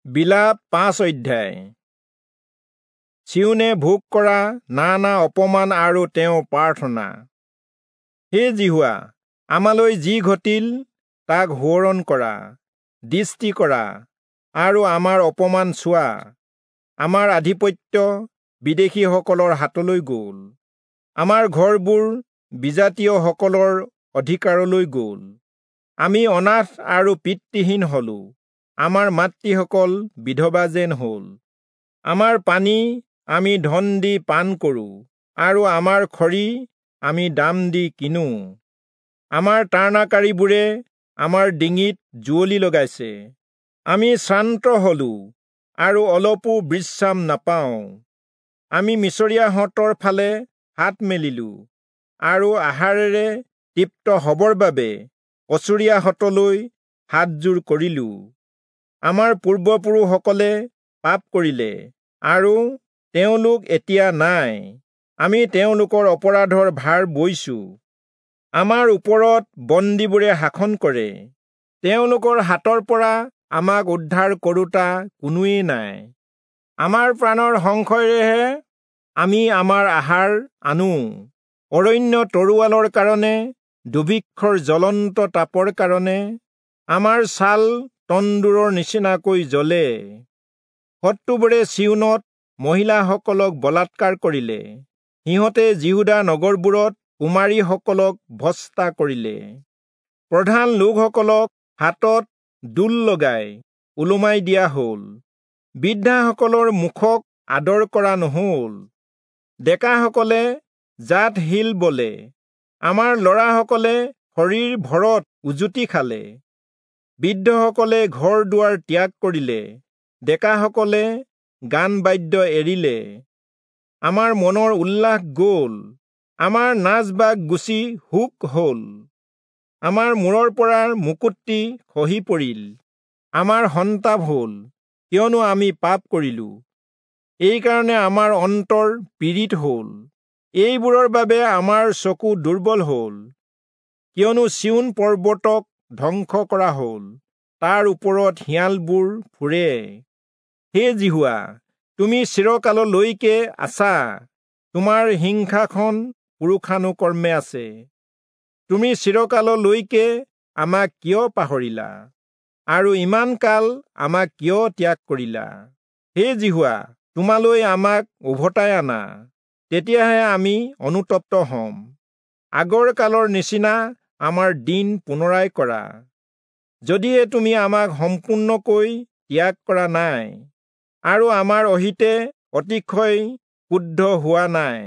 বিলাপ 5 অধ্যায়। চিয়োনে ভোগ কৰা নানা অপমান আৰু তেওঁ প্ৰাৰ্থনা। হে যিহোৱা, আমালৈ যি ঘটিল তাক সোঁৱৰণ কৰা, দৃষ্টি কৰা আৰু আমাৰ অপমান চোৱা। আমাৰ আধিপত্য বিদেশীসকলৰ হাতলৈ গ'ল, আমাৰ ঘৰবোৰ বিজাতীয়সকলৰ অধিকাৰলৈ গ'ল। আমি অনাথ আৰু পিতৃহীন হলো, আমাৰ মাতৃসকল বিধৱা যেন হ'ল। আমাৰ পানী আমি ধন দি পান কৰোঁ আৰু আমাৰ খৰি আমি দাম দি কিনো। আমাৰ তাৰণাকাৰীবোৰে আমাৰ ডিঙিত জুৱলি লগাইছে। আমি শ্ৰান্ত হলো আৰু অলপো বিশ্ৰাম নাপাওঁ। আমি মিছৰীয়াহঁতৰ ফালে হাত মেলিলো আৰু আহাৰেৰে তৃপ্ত হবৰ বাবে অচুৰীয়াহঁতলৈ হাতযোৰ কৰিলো। আমাৰ পূৰ্বপুৰুষসকলে পাপ কৰিলে আৰু তেওঁলোক এতিয়া নাই, আমি তেওঁলোকৰ অপৰাধৰ ভাৰ বৈছো। আমাৰ ওপৰত বন্দীবোৰে শাসন কৰে, তেওঁলোকৰ হাতৰ পৰা আমাক উদ্ধাৰ কৰোঁতা কোনোৱেই নাই। আমাৰ প্ৰাণৰ সংশয়েৰেহে আমি আমাৰ আহাৰ আনো। অৰণ্য তৰোৱালৰ কাৰণে, দুৰ্ভিক্ষৰ জ্বলন্ত তাপৰ কাৰণে আমাৰ ছাল তন্দুৰৰ নিচিনাকৈ জ্বলে। শত্ৰুবোৰে চিয়োনত মহিলাসকলক বলাৎকাৰ কৰিলে, সিহঁতে যিহূদা নগৰবোৰত কুমাৰীসকলক ভ্ৰষ্টা কৰিলে। প্ৰধান লোকসকলক হাতত দোল লগাই ওলোমাই দিয়া হ'ল, বৃদ্ধাসকলৰ মুখক আদৰ কৰা নহ'ল। ডেকাসকলে জাত শিল বলে, আমাৰ ল'ৰাসকলে শৰীৰ ভৰত উজুতি খালে। বৃদ্ধসকলে ঘৰ দুৱাৰ ত্যাগ কৰিলে, ডেকাসকলে গান বাদ্য এৰিলে। আমাৰ মনৰ উল্লাস গ'ল, আমাৰ নাচ বাগ গুচি শোক হ'ল। আমাৰ মূৰৰ পৰা মুকুটটি খহি পৰিল, আমাৰ সন্তাপ হ'ল, কিয়নো আমি পাপ কৰিলো। এইকাৰণে আমাৰ অন্তৰ পীড়িত হ'ল, এইবোৰৰ বাবে আমাৰ চকু দুৰ্বল হ'ল। কিয়নো চিয়োন পৰ্বতক ধ্বংস কৰা হ'ল, তাৰ ওপৰত শিয়ালবোৰ ফুৰে। হে যিহোৱা, তুমি চিৰকাললৈকে আছা, তোমাৰ হিংসাখন পুৰুষানুকৰ্মে আছে। তুমি চিৰকাললৈকে আমাক কিয় পাহৰিলা আৰু ইমান কাল আমাক কিয় ত্যাগ কৰিলা? হে যিহোৱা, তোমালৈ আমাক উভতাই আনা, তেতিয়াহে আমি অনুতপ্ত হ'ম। আগৰ কালৰ নিচিনা আমাৰ দিন পুনৰাই কৰা। যদিহে তুমি আমাক সম্পূৰ্ণকৈ ত্যাগ কৰা নাই আৰু আমাৰ অহিতে অতিশয় ক্ৰুদ্ধ হোৱা নাই।